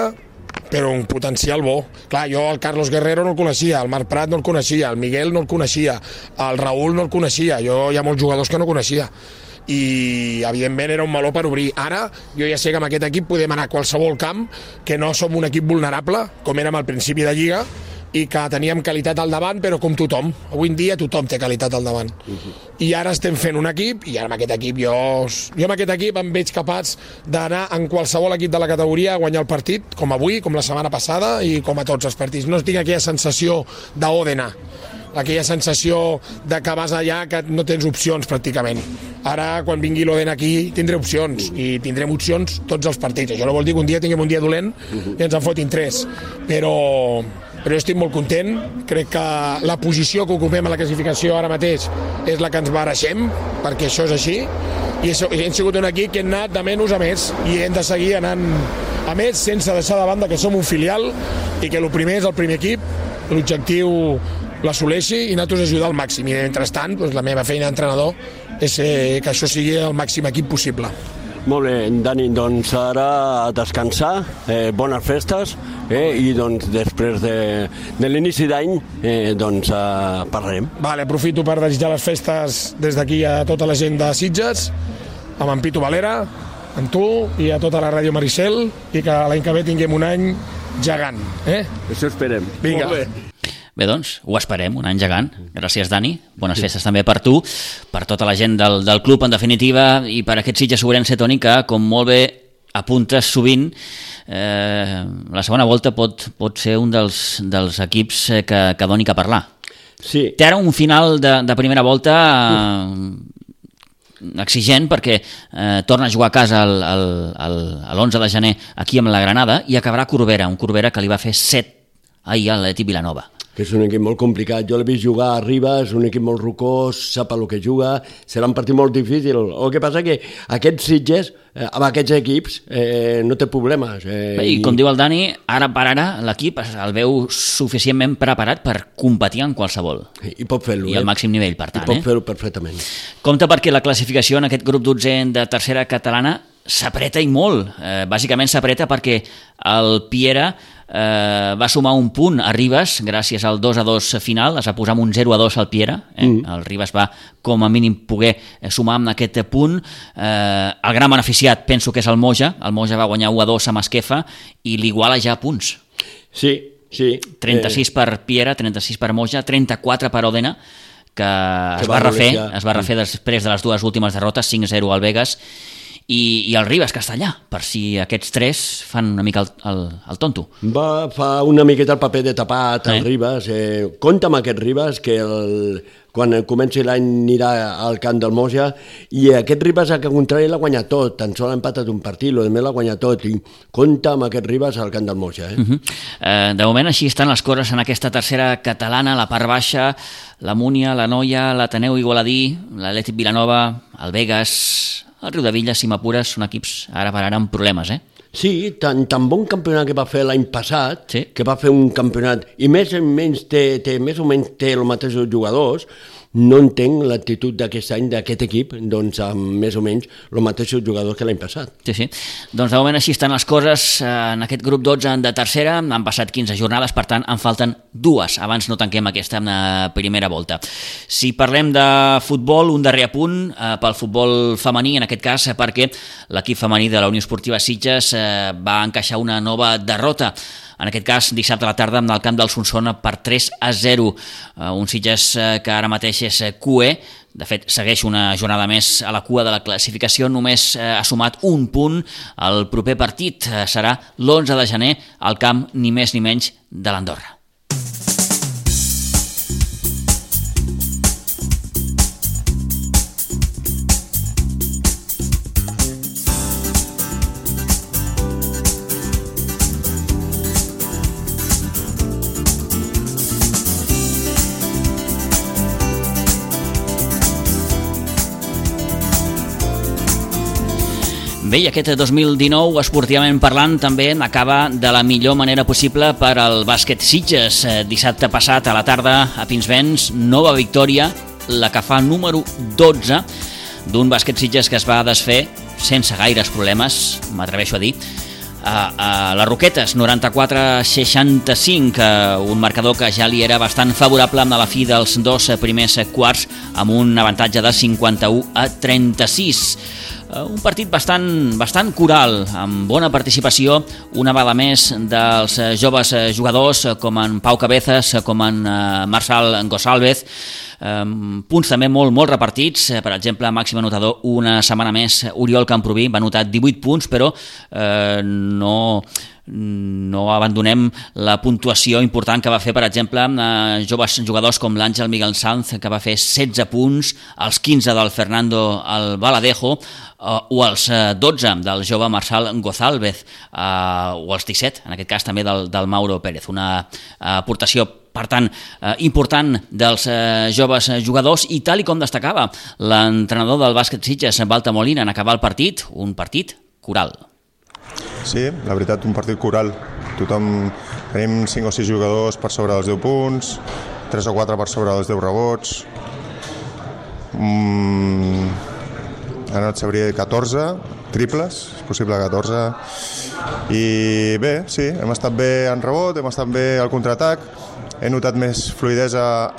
però un potencial bo. Clar, jo el Carlos Guerrero no el coneixia, el Marc Prat no el coneixia, el Miguel no el coneixia, el Raúl no el coneixia, jo hi ha molts jugadors que no coneixia. I evidentment era un meló per obrir. Ara jo ja sé que amb aquest equip podem anar a qualsevol camp, que no som un equip vulnerable com érem al principi de Lliga, i que teníem qualitat al davant, però com tothom. Avui en dia tothom té qualitat al davant. Uh-huh. I ara estem fent un equip, i ara amb aquest equip jo... Jo amb aquest equip em veig capaç d'anar en qualsevol equip de la categoria a guanyar el partit, com avui, com la setmana passada, i com a tots els partits. No tinc aquella sensació d'Òdena, aquella sensació de que vas allà que no tens opcions pràcticament. Ara, quan vingui l'Òdena aquí, tindré opcions, i tindrem opcions tots els partits. Això no vol dir que un dia tinguem un dia dolent i ens en fotin tres, però... però jo estic molt content, crec que la posició que ocupem a la classificació ara mateix és la que ens bareixem, perquè això és així, i hem sigut un equip que hem anat de menys a més, i hem de seguir anant a més sense deixar de banda que som un filial i que el primer és el primer equip, l'objectiu l'assoleixi i nosaltres ajudar al màxim, i mentrestant doncs, la meva feina d'entrenador és que això sigui el màxim equip possible. Molt bé, Dani, doncs ara a descansar, eh, bones festes, eh, i doncs després de, de l'inici d'any eh, doncs eh, parlarem. Vale, aprofito per desitjar les festes des d'aquí a tota la gent de Sitges, amb en Pitu Valera, amb tu i a tota la ràdio Maricel, i que l'any que ve tinguem un any gegant. Eh? Això esperem. Vinga. Molt bé. Bé, doncs, ho esperem, un any gegant. Gràcies, Dani. Bones festes també per tu, per tota la gent del, del club, en definitiva, i per aquest Sitges Ourense, Toni, que, com molt bé apuntes sovint, eh, la segona volta pot, pot ser un dels, dels equips que, que doni que parlar. Sí. Té ara un final de, de primera volta eh, exigent, perquè eh, torna a jugar a casa el, el, el, l'onze de gener aquí amb la Granada, i acabarà a Corbera, un Corbera que li va fer set ahir a l'Atlètic Vilanova. que és un equip molt complicat. Jo l'he vist jugar a Ribes, un equip molt rocós, sap el que juga, serà un partit molt difícil. El que passa que aquests Sitges, eh, amb aquests equips, eh, no té problemes. Eh, I com diu el Dani, ara per ara l'equip el veu suficientment preparat per competir en qualsevol. I pot fer-lo. I al màxim nivell, per tant. I pot eh? fer-ho perfectament. Compte perquè la classificació en aquest grup dotzè de tercera catalana s'apreta i molt. Eh, bàsicament s'apreta perquè el Piera eh, va sumar un punt a Ribes gràcies al dos a dos final, es va posar amb un zero a dos al Piera, eh? mm. el Ribes va com a mínim poder sumar amb aquest punt. Eh, el gran beneficiat penso que és el Moja, el Moja va guanyar u a dos amb Esquefa i l'iguala ja a punts. Sí, sí. trenta-sis per Piera, trenta-sis per Moja, trenta-quatre per Òdena, que, que es va refer, es va refer després de les dues últimes derrotes, cinc a zero al Vegas, i, i el Ribes Castellà, per si aquests tres fan una mica el, el, el tonto. Va fa una miqueta el paper de tapat el eh? Ribes. Eh, compta amb aquest Ribes, que el, quan comenci l'any anirà al camp del Moja, i aquest Ribes, al contrari, l'ha guanyat tot, tan sol ha empatat un partit, el més l'ha guanyat tot, i compta amb aquest Ribes al camp del Moja. Eh? Uh -huh. eh, de moment així estan les coses en aquesta tercera catalana, la part baixa, la Múnia, la Noia, l'Ateneu Igualadí, l'Atlètic Vilanova, el Vegas, el Riudavilla, si m'apures, són equips ara per ara amb problemes, eh? Sí, tan, tan bon campionat que va fer l'any passat, sí. que va fer un campionat, i més o menys té, té, més o menys té els mateixos jugadors, no entenc l'actitud d'aquest any d'aquest equip, doncs amb més o menys els mateixos jugadors que l'any passat. Sí, sí. Doncs de moment així estan les coses en aquest grup dotze de tercera, han passat quinze jornades, per tant en falten dues, abans no tanquem aquesta primera volta. Si parlem de futbol, un darrer apunt eh, pel futbol femení, en aquest cas perquè l'equip femení de la Unió Esportiva Sitges eh, va encaixar una nova derrota, en aquest cas dissabte a la tarda en el camp del Solsona per tres a zero, uh, un Sitges uh, que ara mateix és Q E, de fet segueix una jornada més a la cua de la classificació, només uh, ha sumat un punt. El proper partit uh, serà l'onze de gener al camp ni més ni menys de l'Andorra. Bé, i aquest dos mil dinou, esportivament parlant, també acaba de la millor manera possible per al bàsquet Sitges. Dissabte passat a la tarda a Pinsbens, nova victòria, la que fa número dotze d'un bàsquet Sitges que es va desfer sense gaires problemes, m'atreveixo a dir, a, a les Roquetes, noranta-quatre a seixanta-cinc, un marcador que ja li era bastant favorable a la fi dels dos primers quarts, amb un avantatge de cinquanta-u a trenta-sis. Un partit bastant, bastant coral, amb bona participació, una vegada més dels joves jugadors com en Pau Cabezas, com en Marçal Gonçalves, punts també molt, molt repartits. Per exemple, màxim anotador una setmana més Oriol Camproví, va anotar divuit punts, però eh, no... no abandonem la puntuació important que va fer, per exemple, eh, joves jugadors com l'Àngel Miguel Sanz, que va fer setze punts, els quinze del Fernando Albaladejo, eh, o els dotze del jove Marçal Gonçalves, eh, o els disset, en aquest cas també del, del Mauro Pérez. Una aportació, per tant, eh, important dels eh, joves jugadors, i tal i com destacava l'entrenador del bàsquet Sitges, Valta Molina, en acabar el partit, un partit coral. Sí, la veritat, un partit coral. Tothom, tenim cinc o sis jugadors per sobre dels deu punts, tres o quatre per sobre dels deu rebots, mm, ara et sabria dir catorze triples, és possible catorze, i bé, sí, hem estat bé en rebot, hem estat bé al contraatac, he notat més fluidesa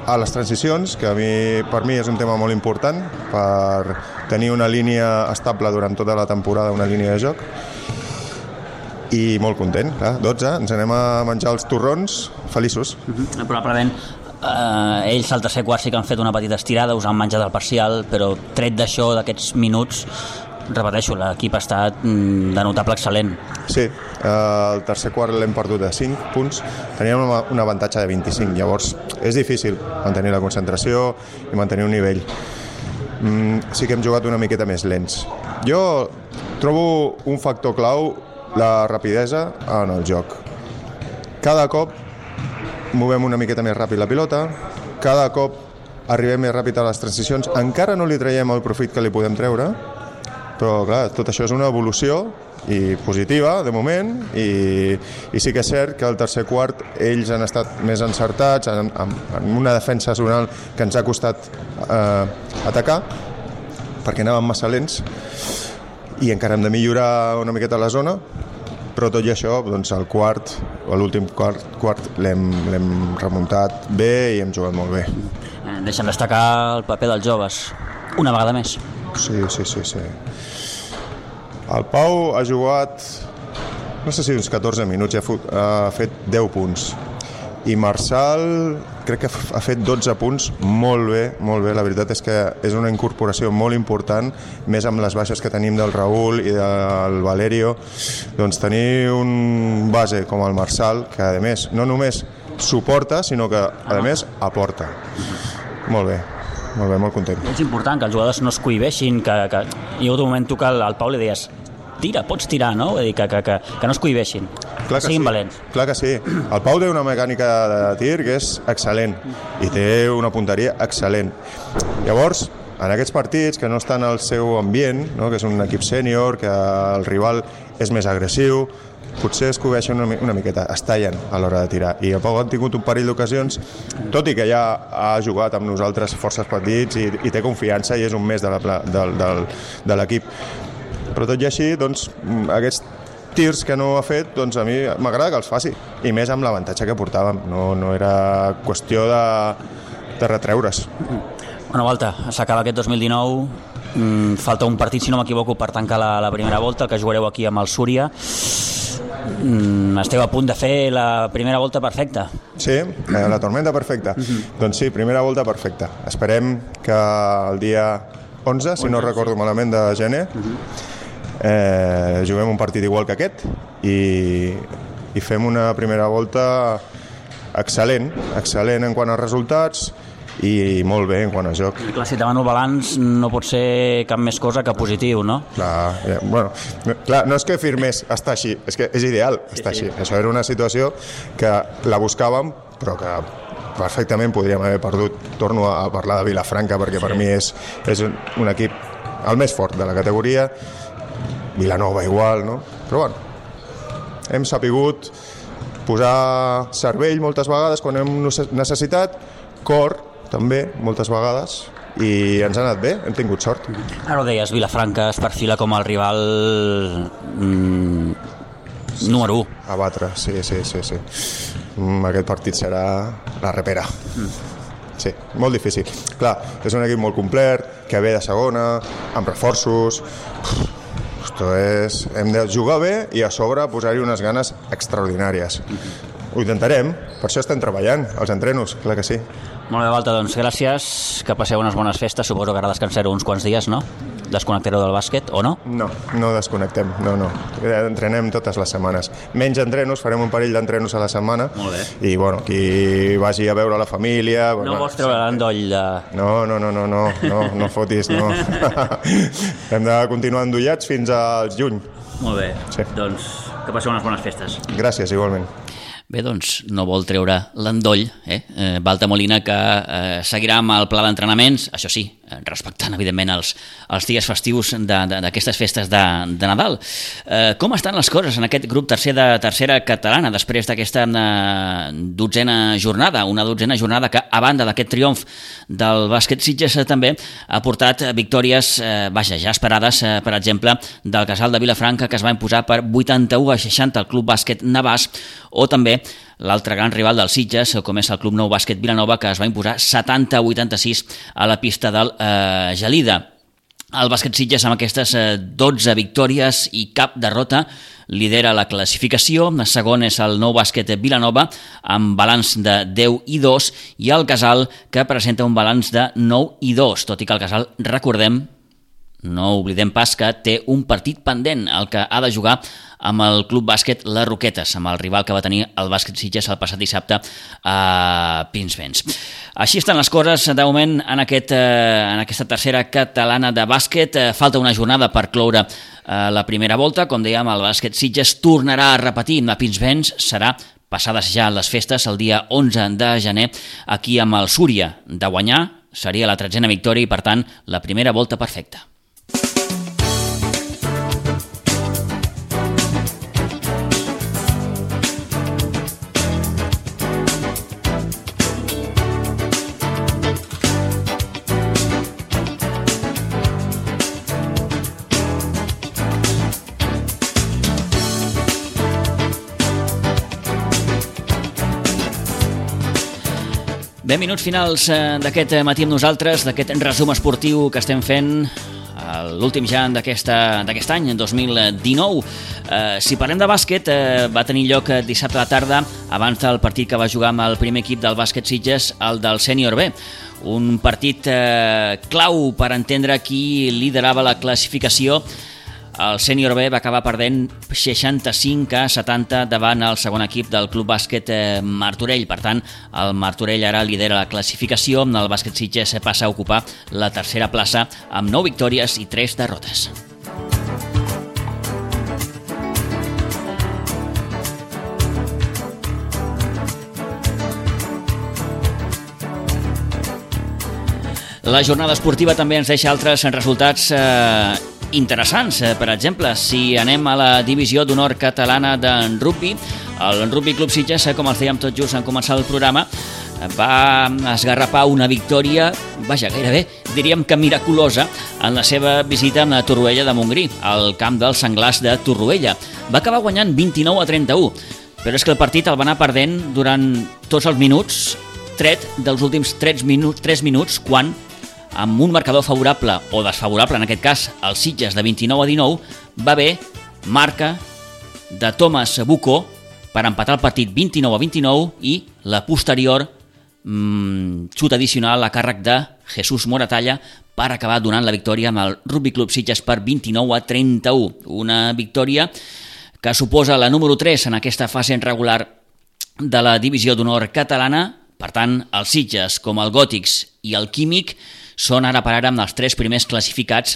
a les transicions, que a mi, per mi és un tema molt important per tenir una línia estable durant tota la temporada, una línia de joc, i molt content, clar, dotze, ens anem a menjar els torrons feliços. Uh-huh. Probablement eh, ells al tercer quart sí que han fet una petita estirada, us han menjat el parcial, però tret d'això, d'aquests minuts, repeteixo, l'equip ha estat de notable excel·lent. Sí, eh, el tercer quart l'hem perdut a cinc punts, teníem un avantatge de vint-i-cinc, llavors és difícil mantenir la concentració i mantenir un nivell. Mm, sí que hem jugat una miqueta més lents. Jo trobo un factor clau la rapidesa en el joc. Cada cop movem una miqueta més ràpid la pilota, cada cop arribem més ràpid a les transicions, encara no li traiem el profit que li podem treure, però clar, tot això és una evolució i positiva de moment, i, i sí que és cert que al tercer quart ells han estat més encertats en, en, en una defensa zonal que ens ha costat eh, atacar perquè anàvem massa lents i encara hem de millorar una miqueta la zona, però tot i això doncs el quart, o l'últim quart, quart l'hem, l'hem remuntat bé i hem jugat molt bé. Deixa'm destacar el paper dels joves una vegada més. Sí, sí, sí, sí. El Pau ha jugat, no sé si uns catorze minuts, ha, fot, ha fet deu punts. I Marçal crec que ha fet dotze punts molt bé, molt bé. La veritat és que és una incorporació molt important, més amb les baixes que tenim del Raül i del Valerio. Doncs tenir un base com el Marçal, que a més no només suporta, sinó que a més aporta. Molt bé. Molt bé, molt content. És important que els jugadors no es cohibeixin, que, que... hi ha hagut un moment tu que al, al Pau li deies tira, pots tirar, no? Vull dir, que, que, que, que no es cohibeixin, clar que siguin sí. valents. Clar que sí. El Pau té una mecànica de tir que és excel·lent i té una punteria excel·lent. Llavors, en aquests partits que no estan al seu ambient, no? Que és un equip sènior, que el rival és més agressiu, potser es cobreixen una, una miqueta, es tallen a l'hora de tirar. I el Pau ha tingut un parell d'ocasions, tot i que ja ha jugat amb nosaltres forces partits i, i té confiança i és un més de, la, de, de, de l'equip. Però tot i així, doncs, aquests tirs que no ha fet, doncs a mi m'agrada que els faci, i més amb l'avantatge que portàvem. No, no era qüestió de, de retreure's. Bueno, Walter, s'acaba aquest dos mil dinou, mm, falta un partit, si no m'equivoco, per tancar la, la primera volta, el que jugareu aquí amb el Súria. Mm, esteu a punt de fer la primera volta perfecta. Sí, la tormenta perfecta. Uh-huh. Doncs sí, primera volta perfecta. Esperem que el dia onze, si no recordo malament, de gener, uh-huh. eh, juguem un partit igual que aquest i, i fem una primera volta excel·lent, excel·lent en quant a resultats i molt bé en quant a joc. Clar, si demano balanç no pot ser cap més cosa que positiu, no? Clar, eh, bueno, clar, no és que firmés estar així, és que és ideal estar sí, sí. així. Això era una situació que la buscàvem, però que perfectament podríem haver perdut. Torno a parlar de Vilafranca perquè sí. per mi és, és un, un equip el més fort de la categoria, Vilanova igual, no? Però bueno, hem sapigut posar cervell moltes vegades quan hem necessitat, cor també moltes vegades, i ens ha anat bé, hem tingut sort. Ara ho deies, Vilafranca es perfila com el rival mm, número u. A batre, sí, sí, sí, sí. Mm, aquest partit serà la repera. Mm. Sí, molt difícil. Clar, és un equip molt complet, que ve de segona, amb reforços. Esto és... Hem de jugar bé i a sobre posar-hi unes ganes extraordinàries. Ho intentarem, per això estem treballant, els entrenos, clar que sí. Molt bé, Walter, doncs gràcies, que passeu unes bones festes, suposo que ara descansareu uns quants dies, no? Desconnectareu del bàsquet, o no? No, no desconnectem, no, no. Entrenem totes les setmanes. Menys entrenos, farem un parell d'entrenos a la setmana. Molt bé. I, bueno, qui vagi a veure la família... No vols treure l'endoll de... No, no, no, no, no, no, no fotis, no. Hem de continuar endollats fins al juny. Molt bé, sí. Doncs que passeu unes bones festes. Gràcies, igualment. Bé, doncs no vol treure l'endoll, eh? eh Walter Molina, que eh, seguirà amb el pla d'entrenaments, això sí, respectant evidentment els, els dies festius d'aquestes festes de, de Nadal. Eh, com estan les coses en aquest grup tercer de tercera catalana després d'aquesta eh, dotzena jornada, una dotzena jornada que a banda d'aquest triomf del bàsquet Sitges també ha portat victòries, eh, vaja, ja esperades, eh, per exemple, del Casal de Vilafranca, que es va imposar per vuitanta-u a seixanta al Club Bàsquet Navàs, o també l'altre gran rival del Sitges, com és el Club Nou Bàsquet Vilanova, que es va imposar setanta a vuitanta-sis a la pista del eh, Gelida. El bàsquet Sitges, amb aquestes eh, dotze victòries i cap derrota, lidera la classificació. El segon és el Nou Bàsquet Vilanova, amb balanç de deu i dos, i el Casal, que presenta un balanç de nou i dos, tot i que el Casal, recordem, no oblidem pas que té un partit pendent, el que ha de jugar amb el Club Bàsquet Les Roquetes, amb el rival que va tenir el bàsquet Sitges el passat dissabte a Pinsbens. Així estan les coses de moment en, aquest, en aquesta tercera catalana de bàsquet. Falta una jornada per cloure la primera volta. Com dèiem, el bàsquet Sitges tornarà a repetir a Pinsbens, serà passades ja les festes, el dia onze de gener, aquí amb el Súria. De guanyar seria la tretzena victòria i, per tant, la primera volta perfecta. Bé, minuts finals d'aquest matí amb nosaltres, d'aquest resum esportiu que estem fent, l'últim ja d'aquest any, dos mil dinou. Eh, si parlem de bàsquet, eh, va tenir lloc dissabte a la tarda, abans del partit que va jugar amb el primer equip del bàsquet Sitges, el del Sènior B. Un partit eh, clau per entendre qui liderava la classificació. El Sènior B va acabar perdent seixanta-cinc a setanta davant el segon equip del Club Bàsquet Martorell. Per tant, el Martorell ara lidera la classificació. El bàsquet Sitges passa a ocupar la tercera plaça amb nou victòries i tres derrotes. La jornada esportiva també ens deixa altres resultats eh, interessants. Per exemple, si anem a la divisió d'honor catalana d'en rugby, el Rugby Club Sitges, com els dèiem tot just en començar el programa, va esgarrapar una victòria, vaja, gairebé, diríem que miraculosa, en la seva visita a Torroella de Montgrí, al camp dels Senglars de Torroella. Va acabar guanyant vint-i-nou a trenta-u, però és que el partit el va anar perdent durant tots els minuts, tret dels últims tres minuts, tres minuts quan, amb un marcador favorable o desfavorable, en aquest cas, el Sitges de vint-i-nou a dinou, va haver marca de Thomas Bucó per empatar el partit vint-i-nou a vint-i-nou i la posterior mmm, xut addicional a càrrec de Jesús Moratalla per acabar donant la victòria amb el Rugby Club Sitges per vint-i-nou a trenta-u. Una victòria que suposa la número tres en aquesta fase regular de la divisió d'honor catalana. Per tant, el Sitges, com el Gòtics i el Químic, són ara per ara amb els tres primers classificats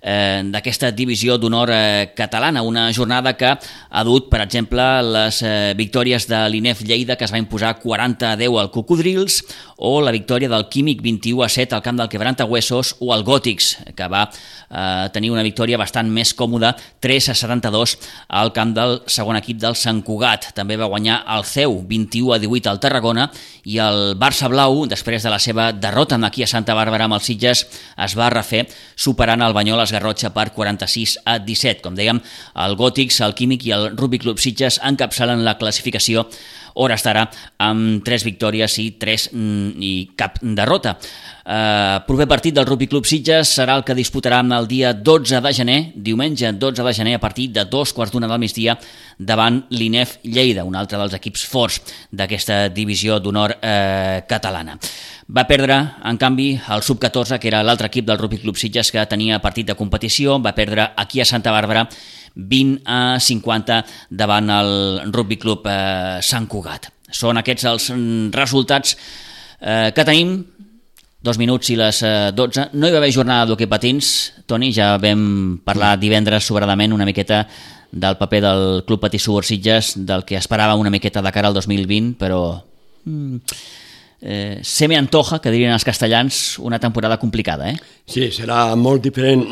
eh, d'aquesta divisió d'honor eh, catalana. Una jornada que ha dut, per exemple, les eh, victòries de l'I N E F Lleida, que es va imposar quaranta a deu al Cocodrils, o la victòria del Químic vint-i-u a set al camp del Quebrantahuesos, o el Gòtics, que va eh, tenir una victòria bastant més còmoda, tres a setanta-dos al camp del segon equip del Sant Cugat. També va guanyar el C E U vint-i-u a divuit al Tarragona, i el Barça Blau, després de la seva derrota aquí a Santa Bàrbara amb els Sitges, es va refer superant el Banyoles Garrotxa per quaranta-sis a disset. Com dèiem, el Gòtics, el Químic i el Rugby Club Sitges encapçalen la classificació hora estarà amb tres victòries i tres i cap derrota. Eh, proper partit del Rugby Club Sitges serà el que disputarà el dia dotze de gener, diumenge dotze de gener, a partir de dos quarts d'una del migdia, davant l'I N E F Lleida, un altre dels equips forts d'aquesta divisió d'honor eh, catalana. Va perdre, en canvi, el sub catorze, que era l'altre equip del Rugby Club Sitges que tenia partit de competició. Va perdre aquí a Santa Bàrbara vint a cinquanta davant el Rugby Club eh, Sant Cugat. Són aquests els resultats eh, que tenim. Dos minuts i les eh, dotze. No hi va haver jornada d'hoquei patins. Toni, ja vam parlar divendres sobradament una miqueta del paper del Club Patí Subur Sitges, del que esperava una miqueta de cara al dos mil vint, però mm, eh, se me antoja, que dirien els castellans, una temporada complicada, eh? Sí, serà molt diferent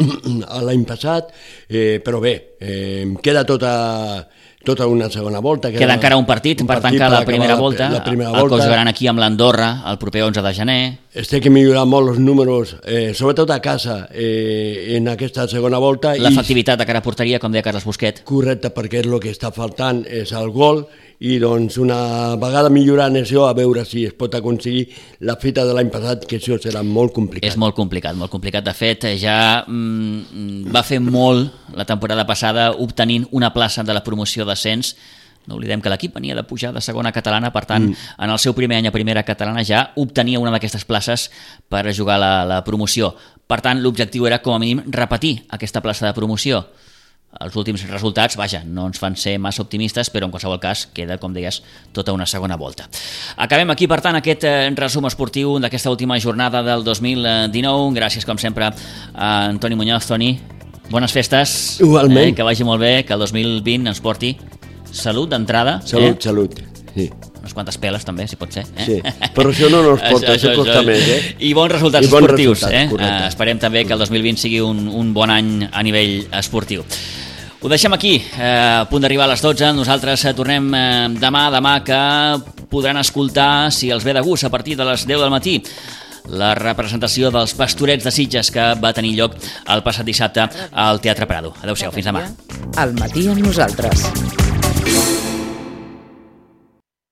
a l'any passat, eh, però bé, eh, queda tota... tota una segona volta. Queda, queda encara un partit un per partit tancar la primera la, volta, la primera el volta. que jugaran aquí amb l'Andorra el proper onze de gener. Es té que millorar molt els números, eh, sobretot a casa, eh, en aquesta segona volta. L'efectivitat de cara a porteria, com deia Carles Busquet. Correcte, perquè és el que està faltant, és el gol, i doncs una vegada millorant això, a veure si es pot aconseguir la fita de l'any passat, que això serà molt complicat. És molt complicat, molt complicat. De fet, ja mm, va fer molt la temporada passada obtenint una plaça de la promoció d'ascens. No oblidem que l'equip venia de pujar de segona catalana, per tant, mm. en el seu primer any a primera catalana ja obtenia una d'aquestes places per jugar la, la promoció. Per tant, l'objectiu era, com a mínim, repetir aquesta plaça de promoció. Els últims resultats, vaja, no ens fan ser massa optimistes, però en qualsevol cas queda, com deies, tota una segona volta. Acabem aquí, per tant, aquest eh, resum esportiu d'aquesta última jornada del dos mil dinou. Gràcies, com sempre, a Antoni Muñoz. Toni, bones festes. Igualment. Eh, que vagi molt bé, que el dos mil vint ens porti salut d'entrada. Salut, eh? salut. Sí. Unes quantes peles també, si pot ser. Eh? Sí, però això no ens porta, això, això costa més. Eh? I bons resultats I bons esportius. resultats, eh? Uh, esperem també que el dos mil vint sigui un, un bon any a nivell esportiu. Ho deixem aquí, eh, a punt d'arribar a les dotze. Nosaltres tornem eh, demà, demà que podran escoltar, si els ve de gust, a partir de les deu del matí, la representació dels Pastorets de Sitges que va tenir lloc el passat dissabte al Teatre Prado. Adéu-siau, fins demà. Al matí amb nosaltres.